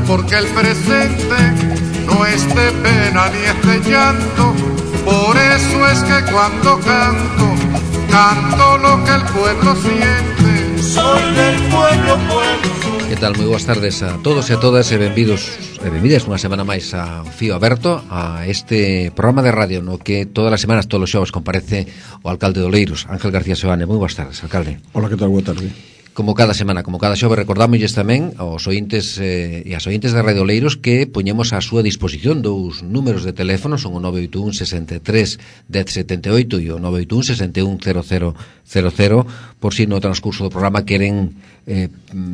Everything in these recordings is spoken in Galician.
porque el presente no es de pena ni es de llanto. Por eso es que cuando canto, canto lo que el pueblo siente. Soy del pueblo, Que tal? Moi boas tardes a todos e a todas e benvidos e benvidas unha semana máis a Fío Aberto, a este programa de radio no que todas as semanas, todos os xovos, comparece o alcalde de Oleiros, Ángel García Seoane. Moi boas tardes, alcalde. Hola, que tal? Boa tarde. Como cada semana, como cada xove, recordámosles tamén aos ointes e as ointes de Radio Oleiros que poñemos á súa disposición dous números de teléfono, son o 981 63 1078 e o 981 61 0000, por si no transcurso do programa queren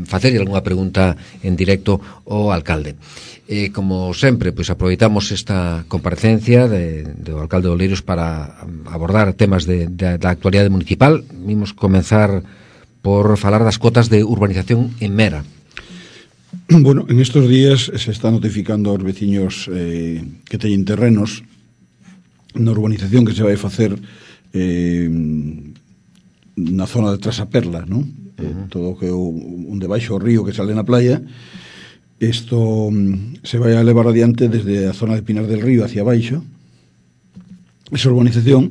facerlle algunha pregunta en directo ao alcalde. Como sempre, pois aproveitamos esta comparecencia do alcalde de Oleiros para abordar temas da actualidade municipal. Vimos comenzar por falar das cotas de urbanización en Mera. Bueno, en estos días se está notificando aos veciños que teñen terrenos na urbanización que se vai facer na zona de Trasaperla, non? Todo o que un debaixo o río que sale na playa. Isto se vai a levar adiante desde a zona de Pinar del Río hacia baixo, esa urbanización.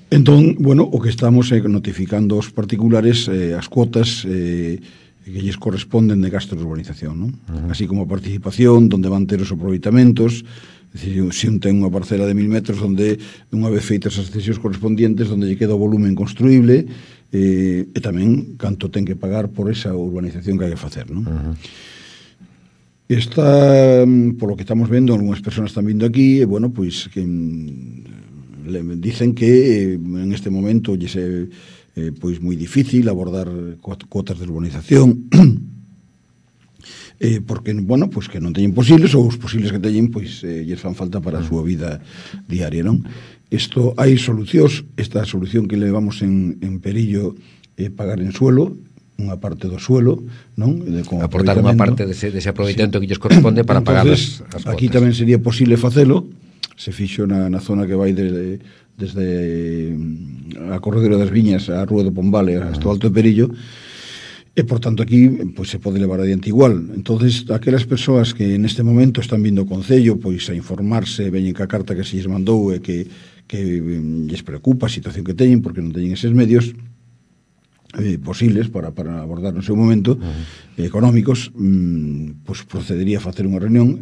Entón, bueno, o que estamos é notificando aos particulares as cuotas que lles corresponden de gasto de urbanización, non? Así como a participación, donde van ter os aproveitamentos, é dicir, se un ten unha parcela de 1000 metros onde unha vez feitas as cesións correspondientes donde lle queda o volumen construíble e tamén canto ten que pagar por esa urbanización que hai que facer, non? Está, por lo que estamos vendo, algunhas persoas están vindo aquí e, bueno, pois que dicen que en este momento lle é pois moi difícil abordar cuotas de urbanización porque, bueno, pois que non teñen posibles ou os posibles que teñen pois lles fan falta para a súa vida diaria, non? Isto hai solucións. Esta solución que levamos en perillo é pagar en suelo unha parte do suelo, non? Aportar unha parte dese aproveitamento que lles corresponde para pagar as cuotas. Aquí tamén sería posible facelo. Se fixo na zona que vai desde a Corredera das Viñas a Rúa do Pombale hasta o Alto de Perillo, e por tanto aquí pois se pode levar adiante igual. Entonces, aquelas persoas que neste momento están vindo ao Concello pois a informarse, veñen ca carta que se lles mandou e que lles preocupa a situación que teñen porque non teñen eses medios posibles para abordar no seu momento económicos, pois procedería a facer unha reunión.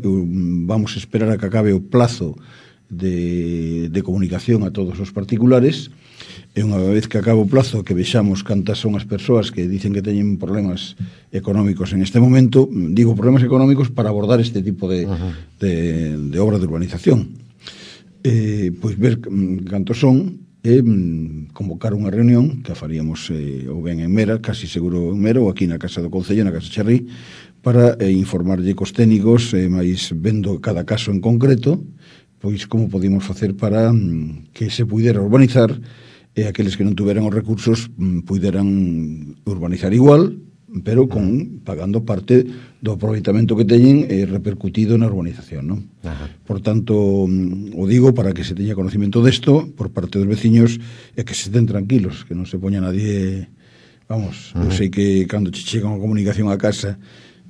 Vamos a esperar a que acabe o plazo de comunicación a todos os particulares e unha vez que acabe o plazo que vexamos cantas son as persoas que dicen que teñen problemas económicos en este momento, digo problemas económicos para abordar este tipo de obra de urbanización, pois ver cantos son e convocar unha reunión que a faríamos ou ben en Mera, casi seguro en Mera, ou aquí na Casa do Concello, na Casa Charrí, para informarlle cos técnicos, máis vendo cada caso en concreto, pois como podíamos facer para que se pudera urbanizar e aqueles que non tuveran os recursos puderan urbanizar igual, pero pagando parte do aproveitamento que teñen repercutido na urbanización, non? Por tanto, o digo para que se teña conocimiento desto por parte dos veciños e que se estén tranquilos, que non se poña nadie. Vamos, eu sei que cando che chega unha comunicación a casa,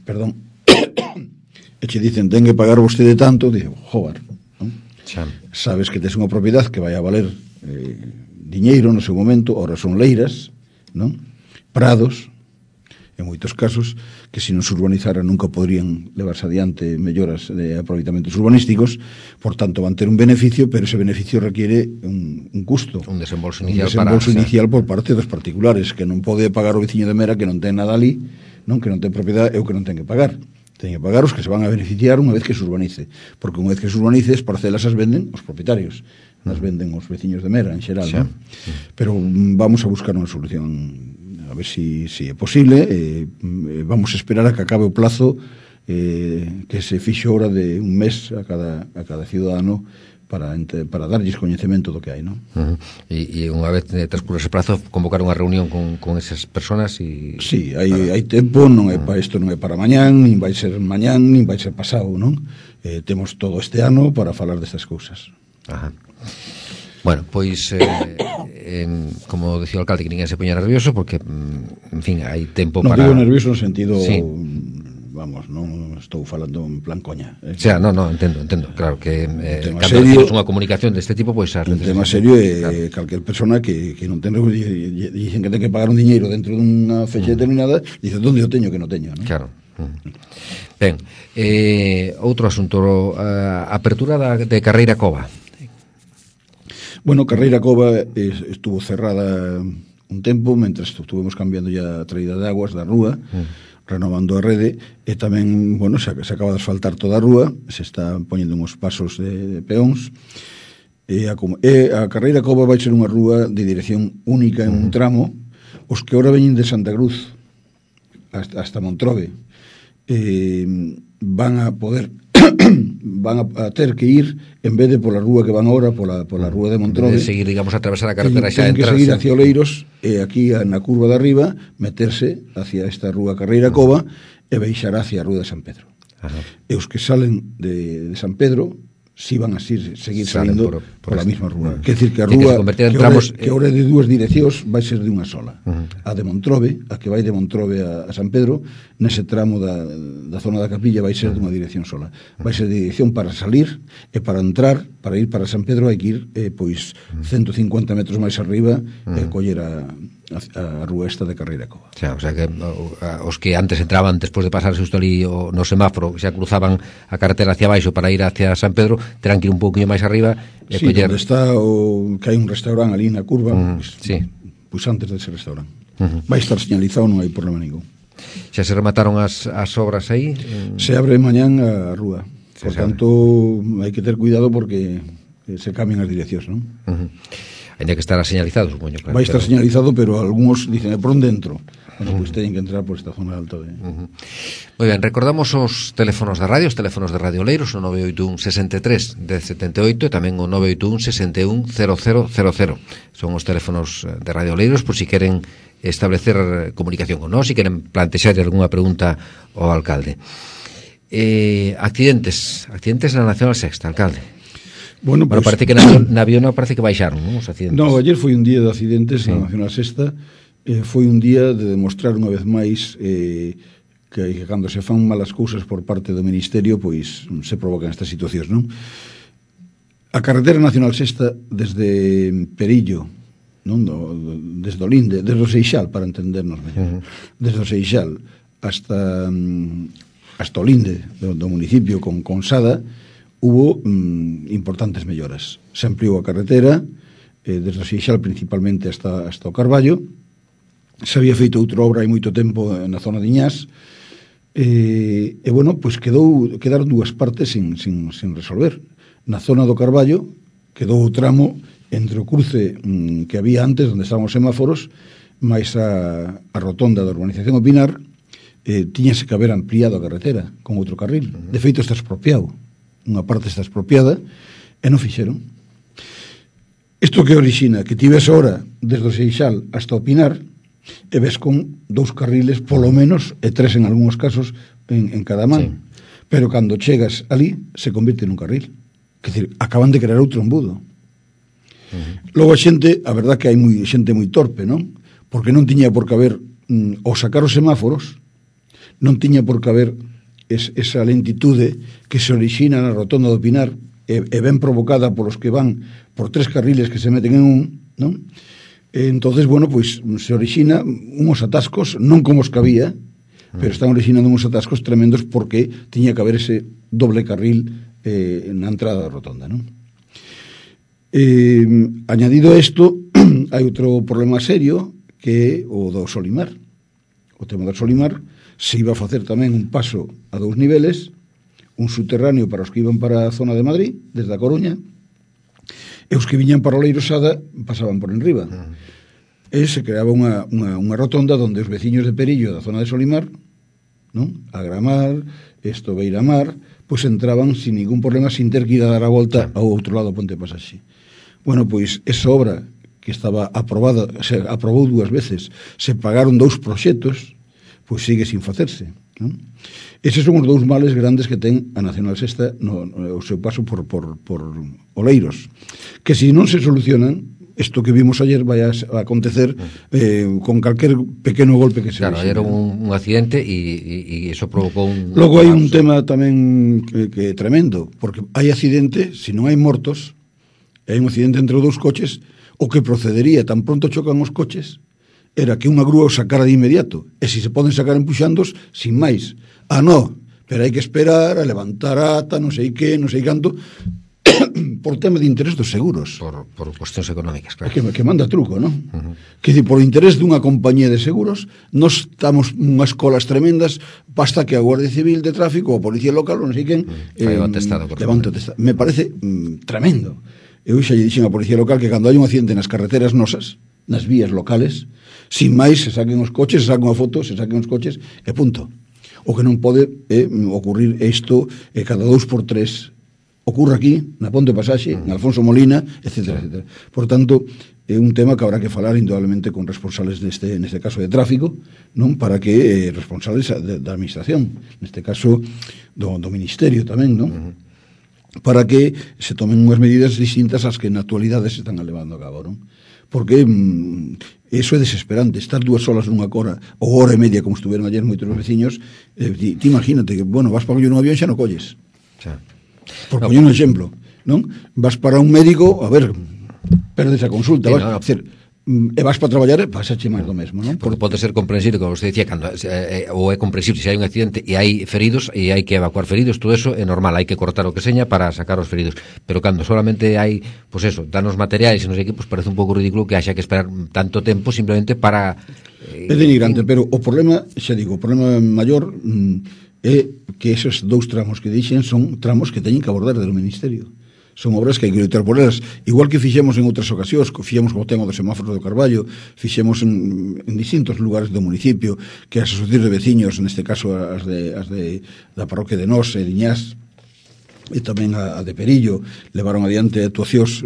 perdón, e che dicen ten que pagar vostede tanto, digo, joder, non? Sabes que tes unha propiedade que vai a valer diñeiro no seu momento, ora son leiras, non? Prados, en moitos casos, que se non se urbanizara nunca podrían levarse adiante melloras de aproveitamentos urbanísticos, por tanto van ter un beneficio, pero ese beneficio requiere un custo, un desembolso inicial por parte dos particulares, que non pode pagar o veciño de Mera que non ten nada ali, non, que non ten propiedade, e o que non ten que pagar. Ten que pagar os que se van a beneficiar unha vez que se urbanice, porque unha vez que se urbanice as parcelas as venden os propietarios, as venden os veciños de Mera en xeral, non? Pero vamos a buscar unha solución a ver si é posible. Vamos a esperar a que acabe o plazo que se fixo ahora de un mes a cada ciudadano para darlles coñecemento do que hai, non? E unha vez transcurre ese prazo, convocar unha reunión con esas personas e... Sí, hai tempo, non é para isto, non é para mañán, nin vai ser mañán, nin vai ser pasado, non? Temos todo este ano para falar destas cousas. Bueno, pois como decía o alcalde, que ninguén se poña nervioso porque, en fin, hai tempo para... Non digo nervioso no sentido vamos, non estou falando en plan coña. O sea, non, entendo, claro que cando serio, tienes unha comunicación deste tipo, pois un tema serio é calquer persona que non ten dicen que ten que pagar un diñeiro dentro dunha fecha determinada, dice, onde o teño que non teño, non? Claro. Ben, outro asunto, apertura de Carreira Cova. Bueno, Carreira Cova estuvo cerrada un tempo, mentre estuvemos cambiando ya a traída de aguas da rúa, renovando a rede, e tamén, bueno, se acaba de asfaltar toda a rúa, se está poñendo uns pasos de peóns, e a Carreira Cova vai ser unha rúa de dirección única en un tramo, os que ahora veñen de Santa Cruz hasta Montrobe, van a poder van a ter que ir, en vez de pola rúa que van ahora, pola rúa de Montrobe, de seguir, digamos, a atravesar a carretera xa ten que seguir hacia Oleiros, e aquí na curva de arriba meterse hacia esta rúa Carreira Cova e baixar hacia a rúa de San Pedro. Ajá. E os que salen de San Pedro si van a seguir salindo por a mesma rúa. Quer dicir que a rúa que ahora é de dúas direccións vai ser de unha sola. A de Montrobe, a que vai de Montrobe a San Pedro, nese tramo da zona da Capilla vai ser de unha dirección sola. Vai ser de dirección para salir e para entrar, para ir para San Pedro hai que ir pois 150 metros máis arriba e coller a rúa esta de Carreira Cova. O sea que os que antes entraban despois de pasar xusto ali no semáforo, xa cruzaban a carretera hacia baixo para ir hacia San Pedro, terán que ir un pouquinho máis arriba e coller... onde está que hai un restaurante ali na curva, pois antes dese restaurante. Vai estar señalizado, non hai problema ningún. Xa se remataron as obras aí? Se abre mañán a rúa. Por tanto, hai que ter cuidado porque se cambian as direccións, non? Ainda que estará señalizado, supoño. Claro, vai estar señalizado, pero algúns dicen, por onde entro? Bueno, pois teñen que entrar por esta zona alta de... Moi ben, recordamos os teléfonos de radio, os teléfonos de Radio Oleiros, o 981 63 1078 e tamén o 981 61 0000. Son os teléfonos de Radio Oleiros por si queren establecer comunicación con nós, si queren plantexar algunha pregunta ao alcalde. Accidentes na Nacional Sexta, alcalde. Bueno, pues, parece que na Viona parece que baixaron, non, os accidentes. No, ayer foi un día de accidentes na Nacional Sexta, foi un día de demostrar unha vez máis que cando se fan malas cousas por parte do Ministerio, pois se provocan estas situacións, non? A carretera Nacional Sexta desde Perillo, non, desde o Linde, desde o Seixal, para entendernos mellor, desde o Seixal hasta o Linde do municipio con Sada, hubo importantes melloras. Se ampliou a carretera desde o Seixal principalmente hasta o Carballo. Se había feito outra obra hai moito tempo na zona de Iñás e bueno, pois quedaron dúas partes sin resolver. Na zona do Carballo quedou o tramo entre o cruce que había antes, onde estaban os semáforos, máis a rotonda da urbanización O Pinar, tiñase que haber ampliado a carretera con outro carril. De feito está expropiado, unha parte está expropiada e non fixeron. Isto que orixina que tivese ahora desde o Seixal hasta o Pinar e ves con dous carriles polo menos e tres en algúns casos en cada man, pero cando chegas ali se convirte nun carril, quer dizer, acaban de crear outro embudo. Logo a xente, a verdad que hai xente moi torpe, non? Porque non tiña por que haber ao sacar os semáforos, non tiña por que haber esa lentitude que se orixina na rotonda do Pinar e ben provocada polos que van por tres carriles que se meten en un, non? Entonces, bueno, pois se orixina uns atascos, non como os que había, pero están orixinando uns atascos tremendos porque tiña que haber ese doble carril na entrada da rotonda, non? Añadido a isto, hai outro problema serio que é o do Solimar. O tema do Solimar se iba a facer tamén un paso a 2 niveles, un subterráneo para os que iban para a zona de Madrid, desde a Coruña, e os que viñan para o Leirosada pasaban por enriba. E se creaba unha rotonda onde os veciños de Perillo da zona de Solimar, non? A Gramar, Beiramar, pois entraban sin ningún problema, sin ter que ir a dar a volta ao outro lado do Ponte Pasaxe. Bueno, pois esa obra que estaba aprobada, se aprobou 2 veces, se pagaron 2 proxectos, pois sigue sin facerse, non? Eses son os 2 males grandes que ten a Nacional Sexta no seu paso por Oleiros, que se non se solucionan, isto que vimos ayer vai a acontecer con calquer pequeno golpe que se Claro, era un accidente e iso provocou un... Logo hai un tema tamén que é tremendo, porque hai accidente, se non hai mortos, hai un accidente entre os dous coches, o que procedería tan pronto chocan os coches era que unha grúa os sacara de inmediato, e se poden sacar empuxandos, sin máis. No, pero hai que esperar a levantar ata, non sei que, non sei canto, por tema de interés dos seguros. Por cuestións económicas, claro. Que manda truco, non? Que dice, por interés dunha compañía de seguros, nos estamos unhas colas tremendas, basta que a Guardia Civil de Tráfico ou a Policía Local, ou non sei quen, levante atestado. Me parece tremendo. Eu xa lle dixen a Policía Local que cando hai un accidente nas carreteras nosas, nas vías locales, sin máis se saquen os coches, se saquen unha foto, se saquen os coches e punto. O que non pode ocurrir isto cada 2 por 3 ocurre aquí, na Ponte Pasaxe, en Alfonso Molina, etcétera, etcétera. Por tanto, é un tema que habrá que falar indudablemente con responsables neste caso de tráfico, non, para que responsables da administración, neste caso do Ministerio tamén, non? Para que se tomen unhas medidas distintas ás que na actualidade se están levando a cabo, non? Porque eso é desesperante, estar 2 horas nunha cora ou hora e media, como estuveron ayer moitos veciños, ti imagínate que, bueno, vas para coller un avión xa non colles. Por poñer un exemplo, non? Vas para un médico, a ver, perdes a consulta, e vas para traballar e pasache máis do mesmo, non? Porque pode ser comprensible, como você dicía, cando ou é comprensible se hai un accidente e hai feridos e hai que evacuar feridos, todo eso é normal, hai que cortar o que seña para sacar os feridos, pero cando solamente hai, pois eso, danos materiais e non sei que, pois parece un pouco ridículo que haxa que esperar tanto tempo simplemente para... É denigrante, pero o problema, xa digo, o problema maior é que esos 2 tramos que dixen son tramos que teñen que abordar do Ministerio. Son obras que hai que lutar por elas, igual que fixemos en outras ocasións, fixemos co tema dos semáforos do Carballo, fixemos en distintos lugares do municipio, que as asociacións de veciños, neste caso as da parroquia de Nos e Diñás, e tamén a de Perillo, levaron adiante actuacións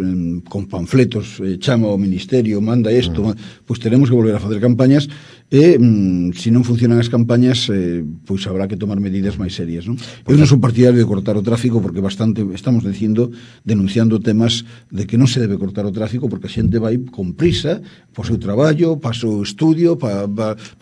con panfletos, chama ao Ministerio, manda isto, pois teremos que volver a facer campañas, e se non funcionan as campañas, pois habrá que tomar medidas máis serias, non? Eu non sou partidario de cortar o tráfico, porque bastante estamos denunciando temas de que non se debe cortar o tráfico, porque a xente vai con prisa para o seu traballo, para o seu estudio, para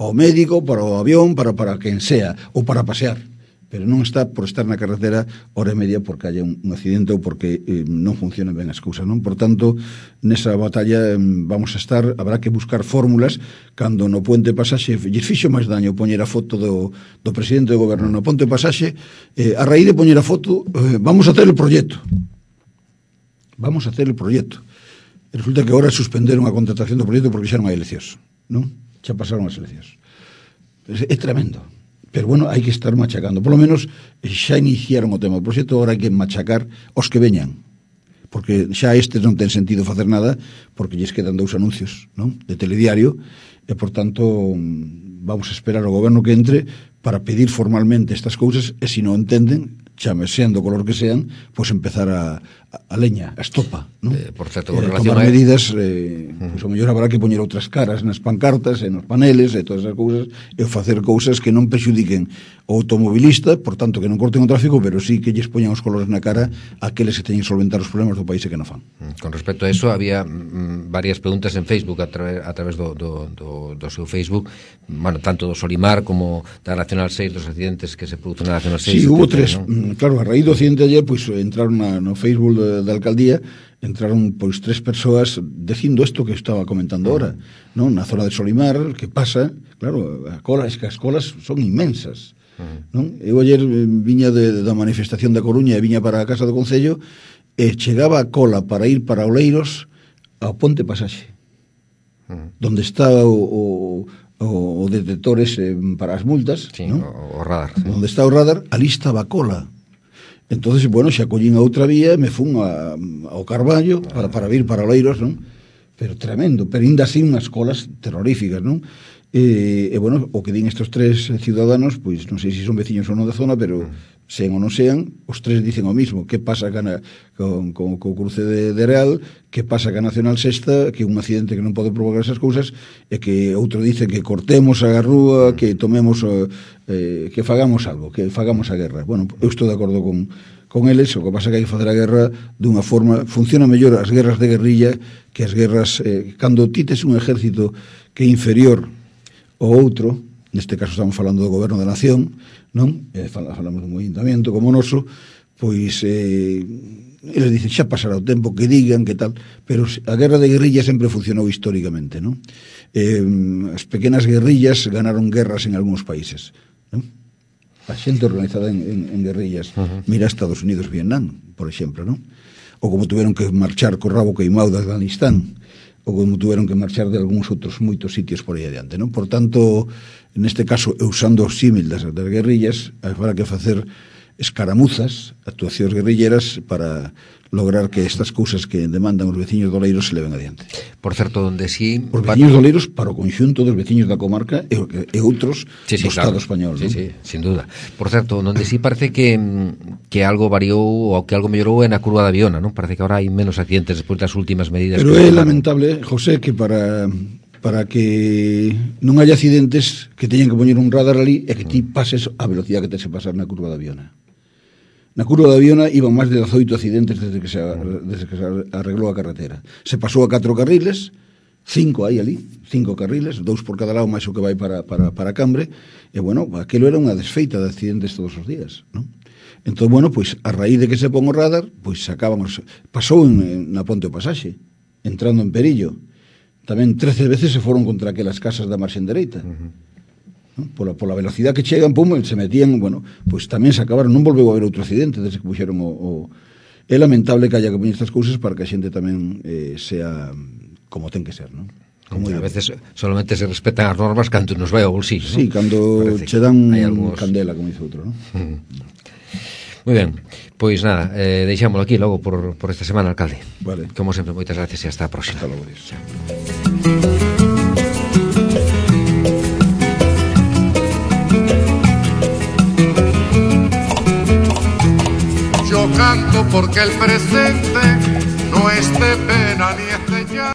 o médico, para o avión, para quen sea, ou para pasear, pero non está por estar na carretera hora e media porque haya un accidente ou porque non funcionan ben as cousas, non? Por tanto, nesa batalla vamos a estar, habrá que buscar fórmulas. Cando no Puente Pasaxe lles fixo máis daño poñer a foto do presidente do goberno no Puente Pasaxe, a raíz de poñer a foto, vamos a hacer el proyecto, e resulta que agora suspenderon a contratación do proyecto porque xa non hai eleccións, non? Xa pasaron as eleccións. É tremendo. Pero bueno, hai que estar machacando. Por lo menos xa iniciaron o tema do proxecto, agora hai que machacar os que veñan. Porque xa estes non ten sentido facer nada, porque lles quedan 2 anuncios, non? De telediario, e por tanto vamos a esperar ao goberno que entre para pedir formalmente estas cousas, e se non entenden, chame sean do color que sean, pois empezar a leña, a estopa, non? Por certo, con relación tomar medidas, pois o mellor habrá que poñer outras caras nas pancartas e nos paneles e todas as cousas, e facer cousas que non prexudiquen o automobilista, por tanto que non corten o tráfico, pero sí que lles poñan os colores na cara aqueles que teñen que solventar os problemas do país e que non fan. Con respecto a eso, había varias preguntas en Facebook a través do seu Facebook, bueno, tanto do Solimar como da Nacional 6, dos accidentes que se produen na Nacional 6. Sí, hubo 3, claro, a raíz do accidente ayer, pois entraron no Facebook da alcaldía, entraron pois 3 persoas dicindo isto que estaba comentando ahora, non? Na zona de Solimar, que pasa, claro, as colas son inmensas, non? Eu ayer viña da manifestación da Coruña e viña para a Casa do Concello e chegaba a cola para ir para Oleiros ao Ponte Pasaxe, donde está o detectores para as multas, sí, ¿no? O radar, sí. Onde está o radar, ali estaba a cola. Entonces, bueno, xa collín a outra vía e me fun ao Carballo para vir para Oleiros, non? Pero tremendo, pero ainda así unhas colas terroríficas, non? E bueno, o que din estes 3 ciudadanos, pois non sei se son veciños ou non da zona, pero sean ou non sean, os 3 dicen o mismo. Que pasa con o cruce de Real, que pasa ca Nacional Sexta, que un accidente que non pode provocar esas cousas, e que outro dice que cortemos a rúa, que tomemos que fagamos algo, que fagamos a guerra. Bueno, eu estou de acordo con con eles, o que pasa que hai que facer a guerra dunha forma, funciona mellor as guerras de guerrilla que as guerras, cando ti tes un exército que é inferior ao outro, neste caso estamos falando do goberno da nación, non? Falamos dun ayuntamiento como o noso, pois eles dicen, xa pasará o tempo, que digan, que tal, pero a guerra de guerrilla sempre funcionou históricamente, non? As pequenas guerrillas ganaron guerras en algúns países, non? A xente organizada en guerrillas. Mira Estados Unidos, Vietnam, por exemplo, non? Ou como tuveron que marchar co rabo queimado de Afganistán, ou como tuveron que marchar de algúns outros moitos sitios por aí adiante, non? Por tanto, neste caso, usando o símil das guerrillas, habrá que facer escaramuzas, actuacións guerrilleras para lograr que estas cousas que demandan os veciños do Oleiros se leven adiante. Por certo, donde sí... Os veciños do Oleiros para o conxunto dos veciños da comarca e outros do Estado español. Sí, sí, sin duda. Por certo, donde sí parece que algo variou ou que algo mellorou é na curva da Viona, non? Parece que ahora hai menos accidentes despois das últimas medidas. Pero é lamentable, José, que para que non haya accidentes que teñan que poñer un radar ali e que ti pases a velocidade que tens que pasar na curva da Viona. Na curva da Viona iban máis de 18 accidentes desde que se arreglou a carretera. Se pasou a 4 carriles, 5 hai ali, 5 carriles, 2 por cada lado, máis o que vai para Cambre, e, bueno, aquilo era unha desfeita de accidentes todos os días, non? Entón, bueno, pois, a raíz de que se pon o radar, pois, pasou na Ponte o Pasaxe, entrando en Perillo. Tamén 13 veces se foron contra aquelas casas da marxen dereita. Pola velocidade que chegan, pum, se metían, bueno, pois tamén se acabaron, non volveu a haber outro accidente desde que puxeron é lamentable que haya que poñer estas cousas para que a xente tamén sea como ten que ser, non? Como a veces solamente se respetan as normas cando nos vai ao bolsillo, sí, ¿no? Cando che dan candela, como dice outro, non? Moi ben, pois nada, deixámoslo aquí logo por esta semana, alcalde. Vale. Como sempre, moitas gracias e hasta a próxima. Hasta logo, Dios. Yo canto porque el presente no es de pena ni es de llanto.